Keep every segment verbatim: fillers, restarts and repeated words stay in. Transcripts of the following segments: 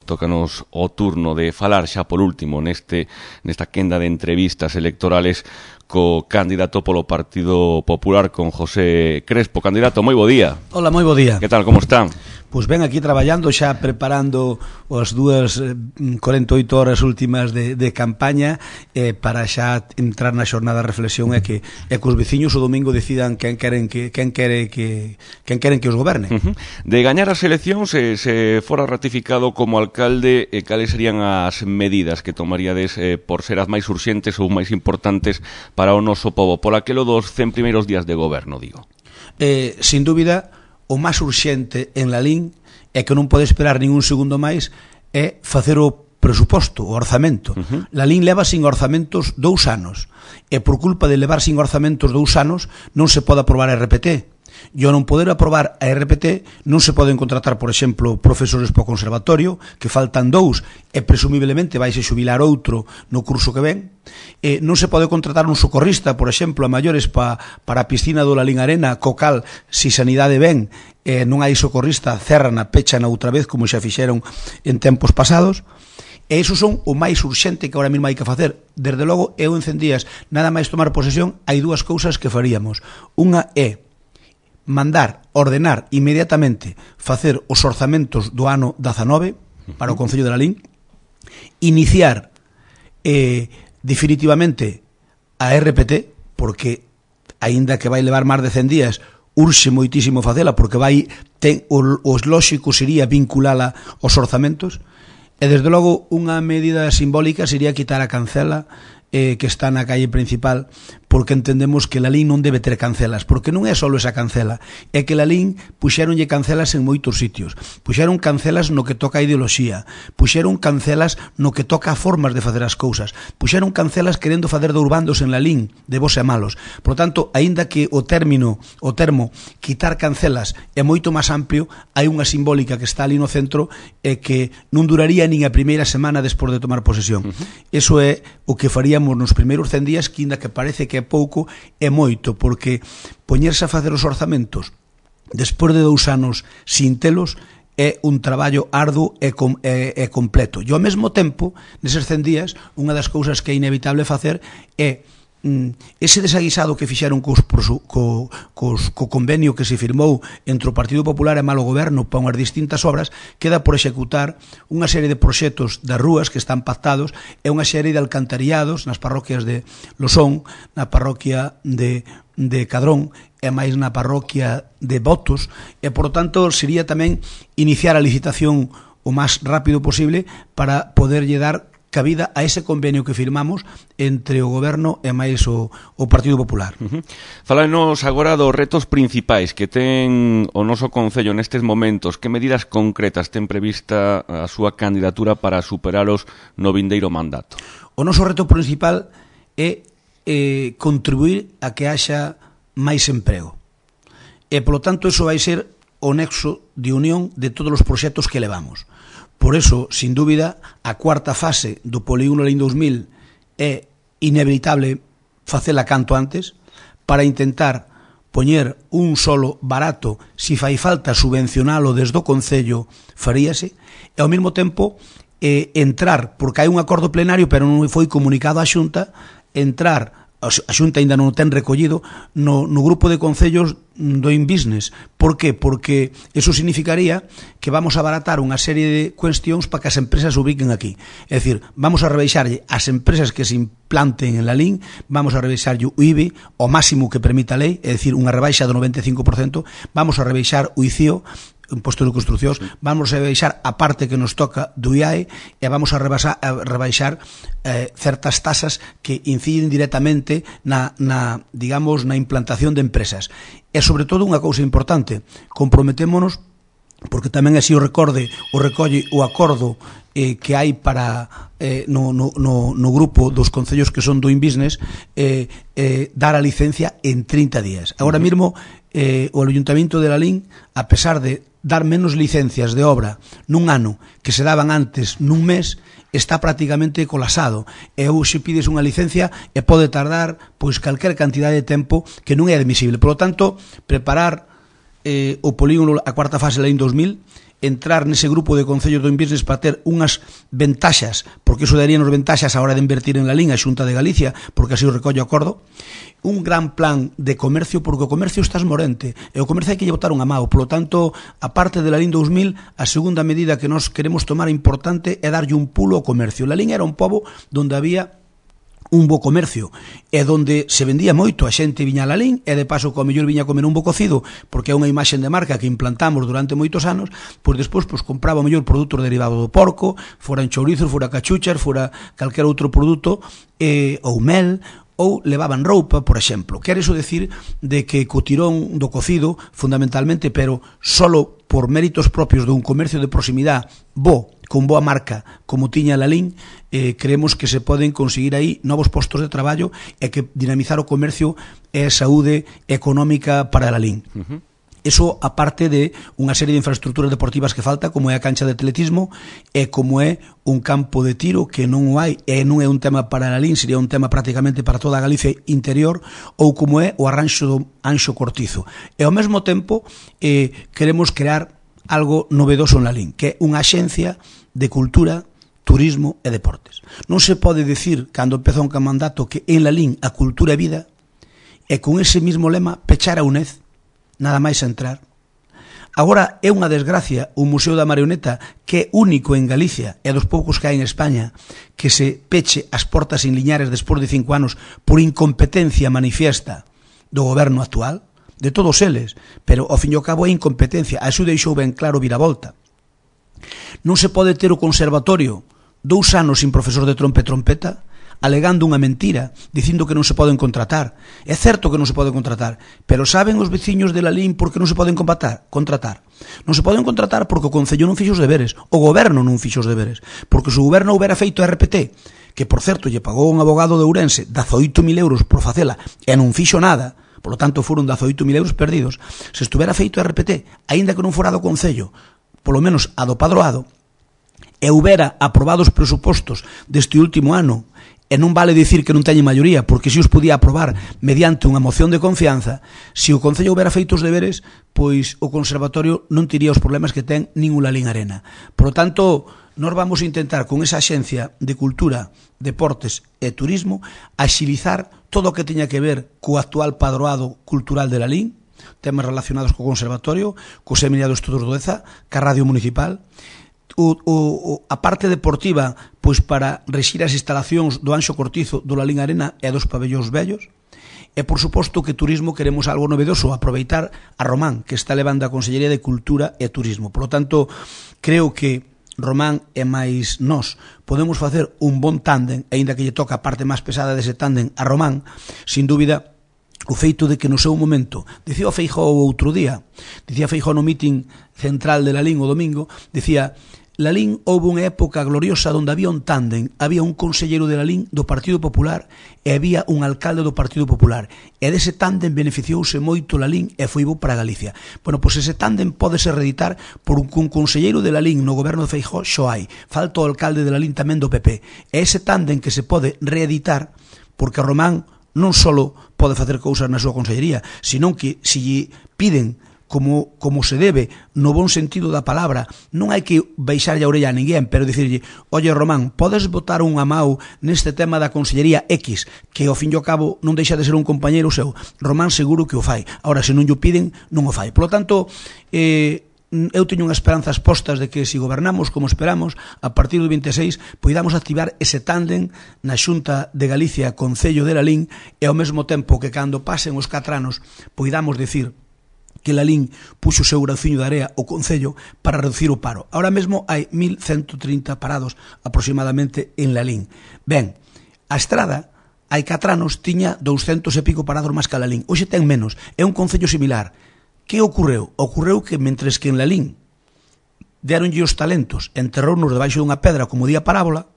tócanos o turno de falar xa por último neste nesta quenda de entrevistas electorales co candidato polo Partido Popular, con José Crespo. Candidato, moi bo día. Hola, moi bo día. Que tal, como están? Pois ben, aquí traballando, xa preparando as dúas corenta e oito horas últimas de, de campaña eh, para xa entrar na xornada de reflexión e que, e que os veciños o domingo decidan quen queren que quen quere que quen queren que os goberne. Uh -huh. De gañar as eleccións, se, se fora ratificado como alcalde, eh, cales serían as medidas que tomaríades eh, por ser as máis urxentes ou máis importantes para o noso pobo, por aquelo dos cen primeiros días de goberno, digo? Eh, sin dúbida, o máis urxente en Lalín é que non pode esperar ningún segundo máis é facer o presuposto, o orzamento. Uh-huh. Lalín leva sin orzamentos dous anos e por culpa de levar sin orzamentos dous anos non se pode aprobar a R P T. E ao non poder aprobar a R P T non se poden contratar, por exemplo, profesores para o conservatorio, que faltan dous e presumiblemente vaise xubilar outro no curso que ven. E non se pode contratar un socorrista, por exemplo, a maiores pa, para a piscina do Lalín Arena, co cal, si sanidade ven, eh, non hai socorrista, cerran a pechan outra vez, como xa fixeron en tempos pasados. E iso son o máis urxente que agora mesmo hai que facer. Desde logo, eu en cen días, nada máis tomar posesión, hai dúas cousas que faríamos. Unha é mandar, ordenar inmediatamente facer os orzamentos do ano dezanove para o Concello de Lalín, iniciar eh, definitivamente a R P T, porque aínda que vai levar máis de cen días, urxe moitísimo facela, porque vai ten, o, os lóxico sería vinculala aos orzamentos, e desde logo unha medida simbólica sería quitar a cancela eh, que está na calle principal, porque entendemos que Lalín non debe ter cancelas, porque non é só esa cancela, é que Lalín puxéronlle cancelas en moitos sitios, puxeron cancelas no que toca a ideoloxía, puxeron cancelas no que toca a formas de facer as cousas, puxeron cancelas querendo facer de urbandos en Lalín, de bos e malos. Por tanto, aínda que o término, o termo quitar cancelas é moito máis amplio, hai unha simbólica que está ali no centro e que non duraría nin a primeira semana despois de tomar posesión. Eso é o que faríamos nos primeiros cen días, que ainda que parece que é pouco, é moito, porque poñerse a facer os orzamentos despois de dous anos sin telos é un traballo arduo e, com, e, e completo. E ao mesmo tempo, neses cen días, unha das cousas que é inevitable facer é ese desaguisado que fixeron cos, co, cos, co convenio que se firmou entre o Partido Popular e Malo Goberno para unhas distintas obras, queda por executar unha serie de proxectos das rúas que están pactados e unha serie de alcantariados nas parroquias de Losón, na parroquia de, de Cadrón e máis na parroquia de Botos, e por tanto sería tamén iniciar a licitación o máis rápido posible para poderlle dar cabida a ese convenio que firmamos entre o Goberno e máis o, o Partido Popular. Uh-huh. Falanos agora dos retos principais que ten o noso Concello nestes momentos. Que medidas concretas ten prevista a súa candidatura para superalos no vindeiro mandato? O noso reto principal é eh, contribuir a que haxa máis emprego. E, polo tanto, eso vai ser o nexo de unión de todos os proxectos que levamos. Por eso, sin dúbida, a cuarta fase do Polígono Lalín dous mil é inevitable facela canto antes para intentar poñer un solo barato, si fai falta subvencionalo desde o Concello, faríase, e ao mesmo tempo eh, entrar, porque hai un acordo plenario pero non foi comunicado á Xunta, entrar, a Xunta ainda non o ten recollido, no, no grupo de concellos do InBusiness. Por que? Porque eso significaría que vamos a abaratar unha serie de cuestións para que as empresas se ubiquen aquí. É dicir, vamos a rebaixarlle as empresas que se implanten en Lalín, vamos a rebaixarlle o I B I o máximo que permita a lei, é dicir, unha rebaixa do noventa e cinco por cento, vamos a rebaixar o I C I O, imposto de construcións, vamos a rebaixar a parte que nos toca do I A E e vamos a rebaixar, a rebaixar eh, certas tasas que inciden directamente na, na, digamos, na implantación de empresas. E, sobre todo, unha cousa importante, comprometémonos, porque tamén así o recorde, o recolle o acordo eh, que hai para eh, no, no, no, no grupo dos concellos que son do InBusiness, eh, eh, dar a licencia en trinta días. Agora mesmo, eh, o Ayuntamiento de Lalín, a pesar de dar menos licencias de obra nun ano que se daban antes nun mes, está prácticamente colapsado. E hoxe pides unha licencia e pode tardar pois calquer cantidade de tempo que non é admisible. Por lo tanto, preparar eh, o polígono a cuarta fase Lalín dous mil entrar nese grupo de concellos do Inbusiness para ter unhas ventaxas, porque iso daríanos ventaxas a hora de invertir en la Lín a Xunta de Galicia, porque así o recollo acordo, un gran plan de comercio, porque o comercio está esmorente, e o comercio hai que lle botar unha mao. Polo tanto, a parte de la Lín dous mil, a segunda medida que nos queremos tomar importante é darlle un pulo ao comercio. La Lín era un pobo onde había un bo comercio, e donde se vendía moito, a xente viña a Lalín, e de paso co mellor viña a comer un bo cocido, porque é unha imaxe de marca que implantamos durante moitos anos, pois despois pois, compraba o mellor produtos derivados do porco, foran chourizos, fora cachuchas, fora calquera outro produto, eh, ou mel, ou levaban roupa, por exemplo. Quer iso decir de que co tirón do cocido, fundamentalmente, pero solo por méritos propios dun comercio de proximidade bo, con boa marca, como tiña Lalín, eh, creemos que se poden conseguir aí novos postos de traballo e que dinamizar o comercio é saúde económica para Lalín. Uh-huh. Eso aparte de unha serie de infraestructuras deportivas que falta, como é a cancha de atletismo e como é un campo de tiro que non o hai, e non é un tema para Lalín, sería un tema prácticamente para toda a Galicia interior, ou como é o arranxo do Anxo Cortizo. E ao mesmo tempo eh, queremos crear algo novedoso en Lalín, que é unha axencia de cultura, turismo e deportes. Non se pode decir, cando empezou un mandato, que en Lalín a cultura é vida, e con ese mismo lema pechar a UNED, nada máis entrar. Agora é unha desgracia o Museo da Marioneta, que é único en Galicia e dos poucos que hai en España, que se peche as portas en Liñares despois de cinco anos por incompetencia manifiesta do goberno actual, de todos eles, pero ao fin e ao cabo é incompetencia. A iso deixou ben claro Viravolta. Non se pode ter o conservatorio dous anos sin profesor de trompa e trompeta, alegando unha mentira, dicindo que non se poden contratar. É certo que non se poden contratar, pero saben os veciños de Lalín por que non se poden contratar? contratar? Non se poden contratar porque o Concello non fixo os deberes, o goberno non fixo os deberes, porque se o goberno houbera feito R P T, que por certo lle pagou un abogado de Ourense dezaoito mil euros por facela e non fixo nada, por lo tanto foron dezaoito mil euros perdidos, se estuvera feito R P T, aínda que non fora do Concello, polo menos a do Padroado, e houbera aprobado os presupostos deste último ano, e non vale dicir que non teñen maioría, porque se os podía aprobar mediante unha moción de confianza, se o Concello houbera feito os deberes, pois o Conservatorio non tiría os problemas que ten nin o Lalín Arena. Por lo tanto, nós vamos a intentar con esa axencia de cultura, deportes e turismo axilizar todo o que teña que ver co actual padroado cultural de Lalín, temas relacionados co Conservatorio, co Seminario de Estudos do Deza, ca Radio Municipal, O, o, a parte deportiva, pois para rexir as instalacións do Anxo Cortizo, do Lalín Arena e dos pabellóns vellos, e por suposto que turismo queremos algo novedoso, aproveitar a Román, que está levando a Consellería de Cultura e Turismo. Por lo tanto, creo que Román e máis nós podemos facer un bon tándem, aínda que lle toca a parte máis pesada dese tándem a Román, sin dúbida, o feito de que no seu momento, dicía o Feijóo outro día, dicía Feijóo no meeting central de Lalín o domingo, dicía: Lalín houve unha época gloriosa onde había un tándem, había un conselleiro de Lalín do Partido Popular e había un alcalde do Partido Popular, e dese tándem beneficiouse moito Lalín e foi bo para Galicia. Bueno, pois ese tándem pode ser reeditar por un, un conselleiro de Lalín no goberno de Feijóo xo hai, falta o alcalde de Lalín tamén do P P, e ese tándem que se pode reeditar, porque Román non só pode facer cousas na súa consellería, senón que se lle piden como, como se debe, no bon sentido da palabra, non hai que baixarlle a orella a ninguén, pero dicirlle: oye Román, podes botar unha mau neste tema da Consellería X, que ao fin e ao cabo non deixa de ser un compañeiro seu. Román seguro que o fai. Ahora, se non o piden, non o fai. Por lo tanto, eh, eu teño unhas esperanzas postas de que se gobernamos como esperamos, a partir do vinte e seis poidamos activar ese tándem na Xunta de Galicia, Concello de Lalín, e ao mesmo tempo que cando pasen os catro anos poidamos decir que Lalín puxo o seu grauciño de area o Concello para reducir o paro. Ahora mesmo hai mil ciento trinta parados aproximadamente en Lalín. Ben, a Estrada hai catro anos tiña douscentos e pico parados máis que a Lalín. Hoxe ten menos, é un concello similar. Que ocorreu? Ocorreu que mentres que en Lalín deronlle os talentos, enterrounos debaixo dunha pedra como día parábola,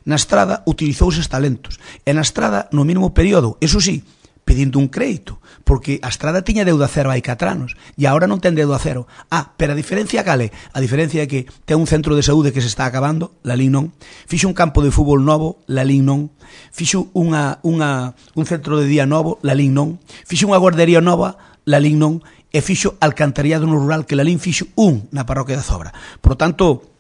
na Estrada utilizou eses talentos. E na Estrada, no mínimo período, eso sí, pedindo un crédito, porque a Estrada tiña deuda cero hai catro anos e agora non ten deuda cero. Ah, pero a diferencia cale? A diferencia é que ten un centro de saúde que se está acabando, Lalín non. Fixo un campo de fútbol novo, Lalín non. Fixo unha, unha, un centro de día novo, Lalín non. Fixo unha guardería nova, Lalín non. e fixo alcantarillado no rural, que Lalín fixo un na parroquia de Zobra. Por tanto,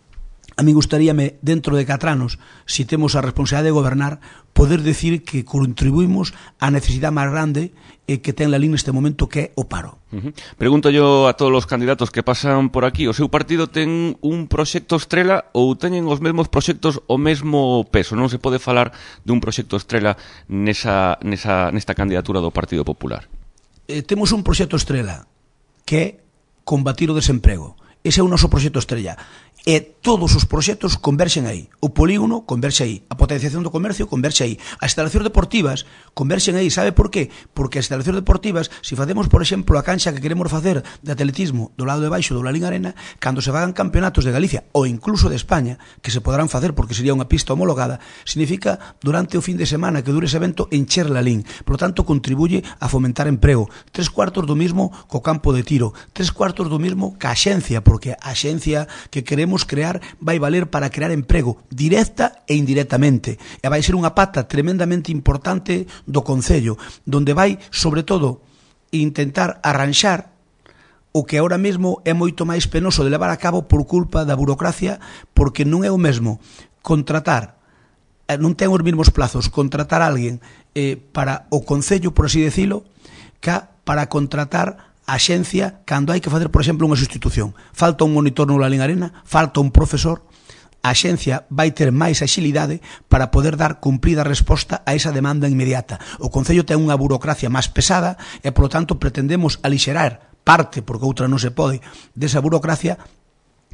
a mí gustaríame, dentro de catro anos, se temos a responsabilidade de gobernar, poder decir que contribuímos á necesidade máis grande eh, que ten Lalín neste momento, que é o paro. Uh-huh. Pregunto yo a todos os candidatos que pasan por aquí, o seu partido ten un proxecto estrela ou teñen os mesmos proxectos o mesmo peso? Non se pode falar dun proxecto estrela nesa, nesa, nesta candidatura do Partido Popular? Eh, temos un proxecto estrela, que é combatir o desemprego. Ese é o noso proxecto estrella. E todos os proxectos converxen aí. O polígono converxe aí. A potenciación do comercio converxe aí. As instalacións deportivas converxen aí. Sabe por qué? Porque as instalacións deportivas, se facemos, por exemplo, a cancha que queremos facer de atletismo do lado de baixo do Lalín Arena, cando se fagan campeonatos de Galicia ou incluso de España, que se poderán facer porque sería unha pista homologada, significa durante o fin de semana que dure ese evento encher Lalín. Por lo tanto, contribuye a fomentar emprego. Tres cuartos do mismo co campo de tiro. Tres cuartos do mismo ca axencia, porque a axencia que queremos crear vai valer para crear emprego directa e indirectamente, e vai ser unha pata tremendamente importante do Concello, donde vai, sobre todo, intentar arranxar o que ahora mesmo é moito máis penoso de levar a cabo por culpa da burocracia, porque non é o mesmo contratar, non ten os mesmos plazos contratar a alguén eh, para o Concello, por así decirlo, que para contratar a xencia cando hai que facer, por exemplo, unha sustitución. Falta un monitor no Lalín Arena, falta un profesor, a xencia vai ter máis axilidade para poder dar cumprida resposta a esa demanda inmediata. O Concello ten unha burocracia máis pesada e, polo tanto, pretendemos alixerar parte, porque outra non se pode, desa burocracia,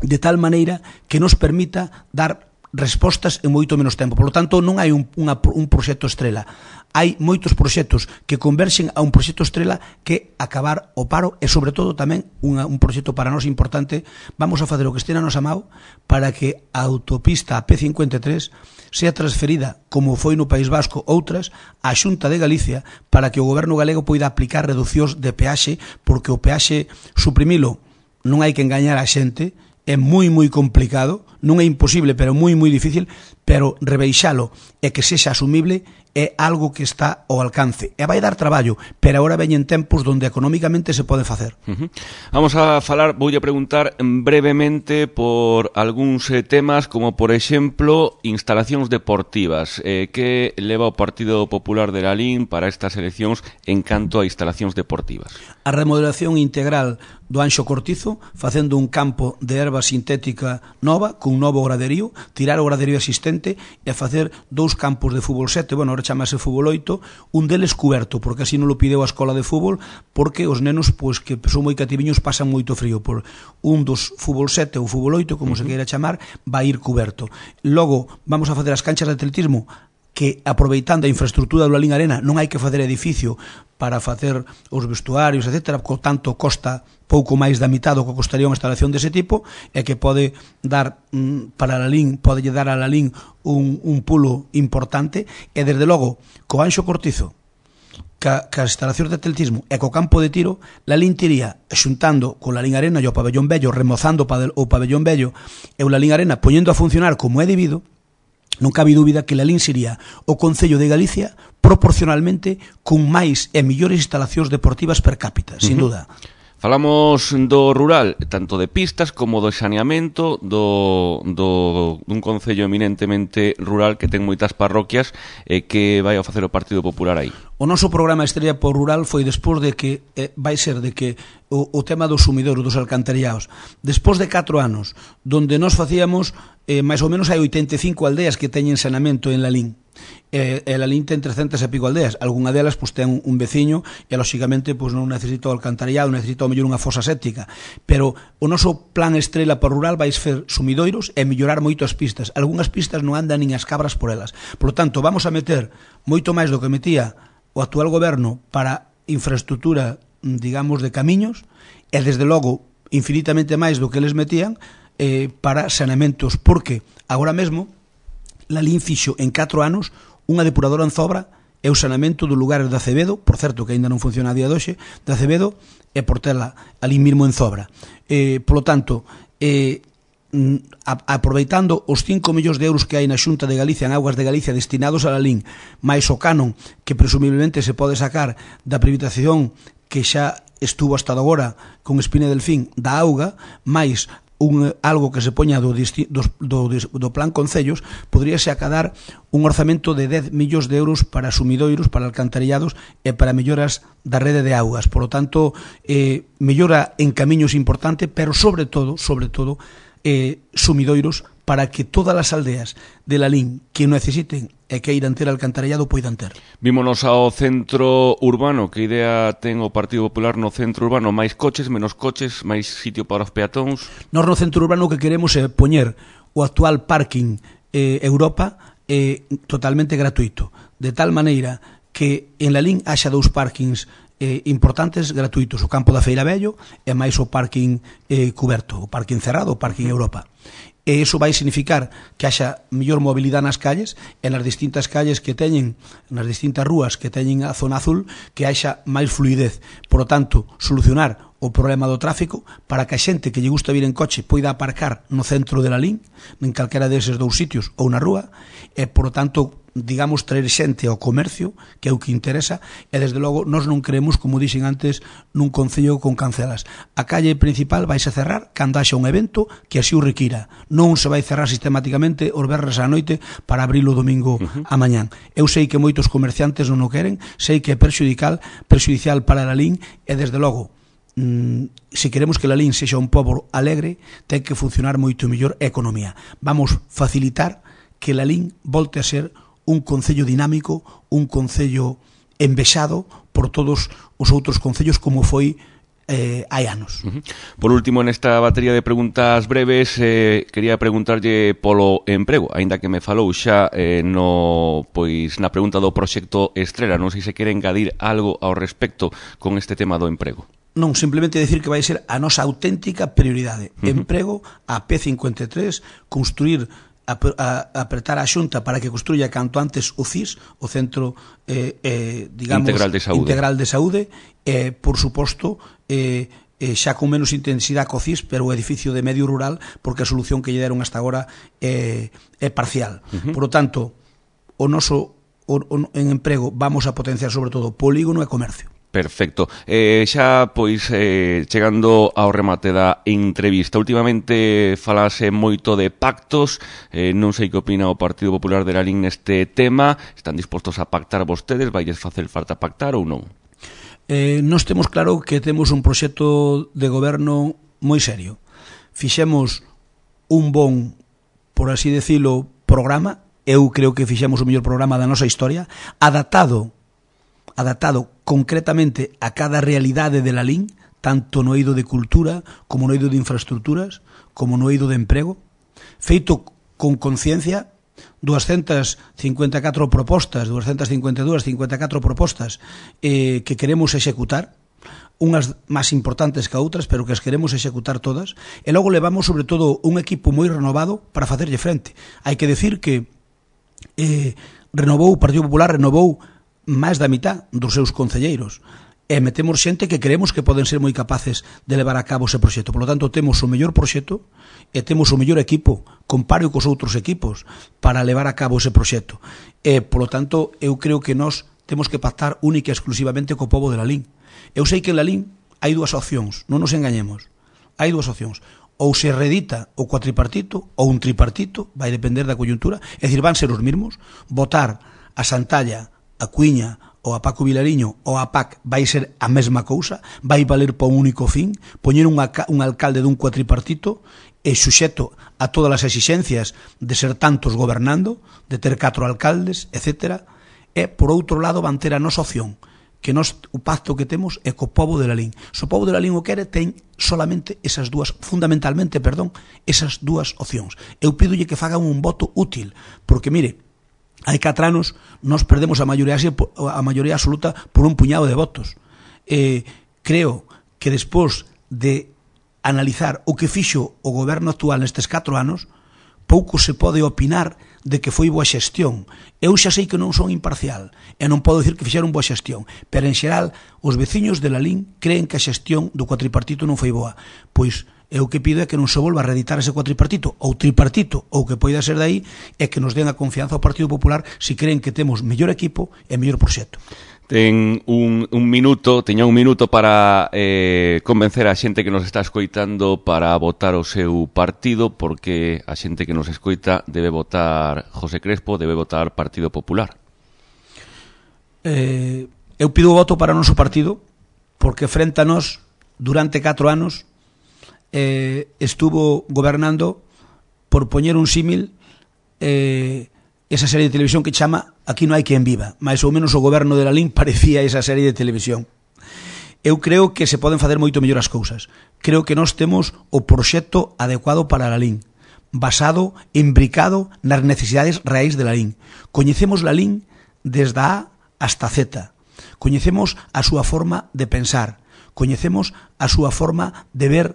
de tal maneira que nos permita dar respostas en moito menos tempo. Por lo tanto, non hai un, unha, un proxecto estrela. Hai moitos proxectos que converxen a un proxecto estrela, que acabar o paro, e sobre todo tamén unha, un proxecto para nós importante. Vamos a facer o que este na nosa mão para que a autopista a P cincuenta e tres sea transferida, como foi no País Vasco outras, á Xunta de Galicia, para que o goberno galego poida aplicar reducións de peaxe, porque o peaxe suprimilo non hai que engañar a xente, é moi moi complicado, non é imposible, pero moi moi difícil, pero rebeixalo e que sexa asumible é algo que está ao alcance. E vai dar traballo, pero agora veñen tempos onde económicamente se pode facer. Uh-huh. Vamos a falar, voulle preguntar brevemente por algúns eh, temas, como por exemplo instalacións deportivas. Eh, que leva o Partido Popular de Lalín para estas eleccións en canto a instalacións deportivas? A remodelación integral do Anxo Cortizo, facendo un campo de erva sintética nova, cun novo graderío, tirar o graderío existente e facer dous campos de fútbol sete, bueno, agora chamase fútbol oito, un deles cuberto, porque así non lo pideu a escola de fútbol, porque os nenos, pois, que son moi cativiños, pasan moito frío. Por un dos fútbol sete ou fútbol oito, como uh-huh. se queira chamar, vai ir cuberto. Logo, vamos a facer as canchas de atletismo, que aproveitando a infraestructura do Lalín Arena non hai que facer edificio para facer os vestuarios, etcétera, co tanto costa pouco máis da mitad do que costaría unha instalación dese tipo, e que pode dar mm, para Lalín, pode dar a Lalín un, un pulo importante, e desde logo, co Anxo Cortizo, ca, ca instalacións de atletismo e co campo de tiro, Lalín tiría xuntando con Lalín Arena e o pabellón vello, remozando o pabellón vello e o Lalín Arena poñendo a funcionar como é debido. Non cabe dúbida que Lalín sería o Concello de Galicia proporcionalmente con máis e millores instalacións deportivas per cápita, sin duda. Falamos do rural, tanto de pistas como do saneamento, do, do dun concello eminentemente rural que ten moitas parroquias e eh, que vai a facer o Partido Popular aí. O noso programa Estrella por Rural foi despois de que, eh, vai ser de que o, o tema dos sumidoros, dos alcantarillados, despois de catro anos, donde nós facíamos, eh, máis ou menos hai oitenta e cinco aldeas que teñen saneamento en Lalín. E, e Lalín ten trescentas e pico aldeas, algunha delas pois, ten un veciño e lóxicamente pois, non necesita o alcantarillado, necesita o mellor unha fosa séptica, pero o noso plan Estrela por Rural vai ser sumidoiros e mellorar moito as pistas. Algúnas pistas non andan nin as cabras por elas, por lo tanto vamos a meter moito máis do que metía o actual goberno para infraestructura, digamos, de camiños, e desde logo infinitamente máis do que eles metían eh, para saneamentos, porque agora mesmo Lalín fixo en catro anos unha depuradora en Zobra e o saneamento do lugar de Acevedo, por certo que aínda non funciona a día de hoxe, de Acevedo e Portela, ali mesmo en Zobra. Eh, polo tanto, eh, a, aproveitando os cinco millóns de euros que hai na Xunta de Galicia, en Augas de Galicia, destinados a Lalín, máis o canon que presumiblemente se pode sacar da privatización que xa estuvo hasta agora con Espina Delfín da auga, máis un, algo que se poña do, do, do, do plan Concellos, poderíase acadar un orzamento de dez millóns de euros para sumidoiros, para alcantarillados e para melloras da rede de augas. Por lo tanto, eh, mellora en camiños importante, pero sobre todo, sobre todo, eh, sumidoiros para que todas as aldeas de Lalín que necesiten e que irán ter alcantarillado poidan ter. Vímonos ao centro urbano. Que idea ten o Partido Popular no centro urbano? Máis coches, menos coches, máis sitio para os peatóns? Nós no centro urbano o que queremos é poñer o actual parking eh, Europa eh, totalmente gratuito, de tal maneira que en Lalín haxa dous parkings eh, importantes gratuitos, o campo da Feira Vello e máis o parking eh, cuberto, o parking cerrado, o parking Europa. E iso vai significar que haxa mellor mobilidade nas calles e nas distintas calles que teñen, nas distintas rúas que teñen a zona azul, que haxa máis fluidez. Por lo tanto, solucionar o problema do tráfico para que a xente que lle gusta vir en coche poida aparcar no centro de Lalín, en calquera deses dous sitios ou na rúa, e, por lo tanto, digamos, traer xente ao comercio, que é o que interesa, e, desde logo, nós non creemos, como dixen antes, nun concello con cancelas. A calle principal vaise cerrar cando haxa un evento que así o requira. Non se vai cerrar sistemáticamente os verres á noite para abrir o domingo uh-huh. a mañán. Eu sei que moitos comerciantes non o queren, sei que é perxudicial, perxudicial para Lalín, e, desde logo, se queremos que Lalín sexa un pobo alegre, ten que funcionar moito mellor a economía. Vamos facilitar que Lalín volte a ser un concello dinámico, un concello envexado por todos os outros concellos como foi eh, hai anos. Uh-huh. Por último, nesta batería de preguntas breves, eh, quería preguntarlle polo emprego, aínda que me falou xa eh, no, pois, na pregunta do proxecto Estrela. Non sei se quere engadir algo ao respecto con este tema do emprego. Non, simplemente decir que vai ser a nosa auténtica prioridade. Uh-huh. Emprego, a P cincuenta e tres, construir, a, a, a apretar a Xunta para que construya canto antes o C I S, o Centro eh, eh, digamos, Integral de Saúde, Integral de Saúde e, por suposto, eh, eh, xa con menos intensidade co C I S, pero o edificio de medio rural, porque a solución que lle deron hasta agora é, é parcial. Uh-huh. Por lo tanto, o noso o, o, en emprego vamos a potenciar sobre todo polígono e comercio. Perfecto. Eh, xa, pois, eh, chegando ao remate da entrevista, últimamente falase moito de pactos, eh, non sei que opina o Partido Popular de Lalín neste tema. Están dispostos a pactar vostedes? Vailles facer falta pactar ou non? Eh, nós temos claro que temos un proxecto de goberno moi serio. Fixemos un bon, por así decirlo, programa. Eu creo que fixemos o mellor programa da nosa historia, adaptado adaptado concretamente a cada realidade de Lalín, tanto no eido de cultura, como no eido de infraestructuras, como no eido de emprego, feito con conciencia, doscientas cincuenta e catro propostas, doscientas cincuenta e dúas, cincuenta e catro propostas eh, que queremos executar, unhas máis importantes que outras, pero que as queremos executar todas, e logo levamos, sobre todo, un equipo moi renovado para facerlle frente. Hai que decir que eh, renovou, o Partido Popular renovou máis da mitad dos seus concelleiros e metemos xente que creemos que poden ser moi capaces de levar a cabo ese proxecto. Por lo tanto, temos o mellor proxecto e temos o mellor equipo, comparo cos outros equipos, para levar a cabo ese proxecto. E, por lo tanto, eu creo que nós temos que pactar única e exclusivamente co pobo de Lalín. Eu sei que en Lalín hai dúas opcións, non nos engañemos. Hai dúas opcións. Ou se reedita o cuatripartito ou un tripartito, vai depender da coyuntura, é dicir, van ser os mesmos, votar a Santalla, a Cuiña ou a Paco Vilariño ou a P A C vai ser a mesma cousa, vai valer para un único fin, poñer un, un alcalde dun cuatripartito e suxeto a todas as exixencias de ser tantos gobernando, de ter catro alcaldes, etcétera, e, por outro lado, van ter a nosa opción, que nos, o pacto que temos é co pobo de Lalín. Se o pobo de Lalín o quere, ten solamente esas dúas, fundamentalmente, perdón, esas dúas opcións. Eu pídolle que fagan un voto útil, porque, mire, hai catro anos nos perdemos a maioría, a maioría absoluta por un puñado de votos. Eh, creo que despois de analizar o que fixo o goberno actual nestes catro anos, pouco se pode opinar de que foi boa xestión. Eu xa sei que non son imparcial e non podo dicir que fixeron boa xestión, pero en xeral os veciños de Lalín creen que a xestión do cuatripartito non foi boa. Pois eu que pido é que non se volva a reeditar ese cuatripartito ou tripartito ou que poida ser dai, e que nos den a confianza ao Partido Popular se creen que temos mellor equipo e mellor proxecto. ten un, un minuto, teña un minuto para eh, convencer a xente que nos está escoitando para votar o seu partido, porque a xente que nos escoita debe votar José Crespo, debe votar Partido Popular. Eh, eu pido o voto para o noso partido, porque frente a nós, durante catro anos, eh, estuvo gobernando, por poñer un símil, eh, esa serie de televisión que chama Aquí non hai quen viva, máis ou menos o goberno de Lalín parecía esa serie de televisión. Eu creo que se poden facer moito mellor as cousas. Creo que nós temos o proxecto adecuado para Lalín, basado, imbricado nas necesidades reais de Lalín. Coñecemos Lalín desde A hasta Z. Coñecemos a súa forma de pensar. Coñecemos a súa forma de ver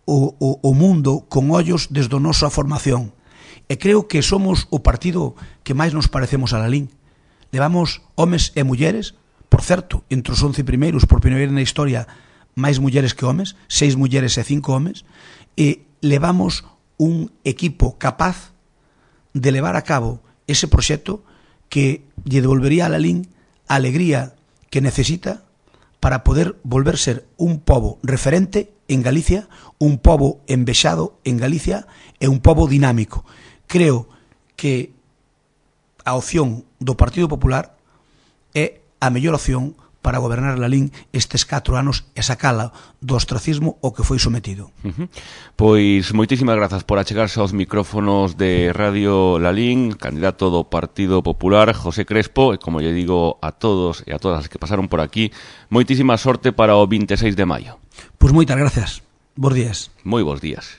o, o, o mundo con ollos desde a nosa formación. E creo que somos o partido que máis nos parecemos a Lalín. Levamos homes e mulleres, por certo, entre os once primeiros, por primeira vez na historia, máis mulleres que homes, seis mulleres e cinco homes, e levamos un equipo capaz de levar a cabo ese proxecto que lle devolvería a Lalín a alegría que necesita para poder volver ser un pobo referente en Galicia, un pobo envexado en Galicia e un pobo dinámico. Creo que a opción do Partido Popular é a mellor opción para gobernar Lalín estes catro anos e sacala do ostracismo ao que foi sometido. Uh-huh. Pois moitísimas grazas por achegarse aos micrófonos de Radio Lalín, candidato do Partido Popular, José Crespo, e como lle digo a todos e a todas as que pasaron por aquí, moitísima sorte para o vinte e seis de maio. Pois moitas grazas. Bos días. Moi bons días.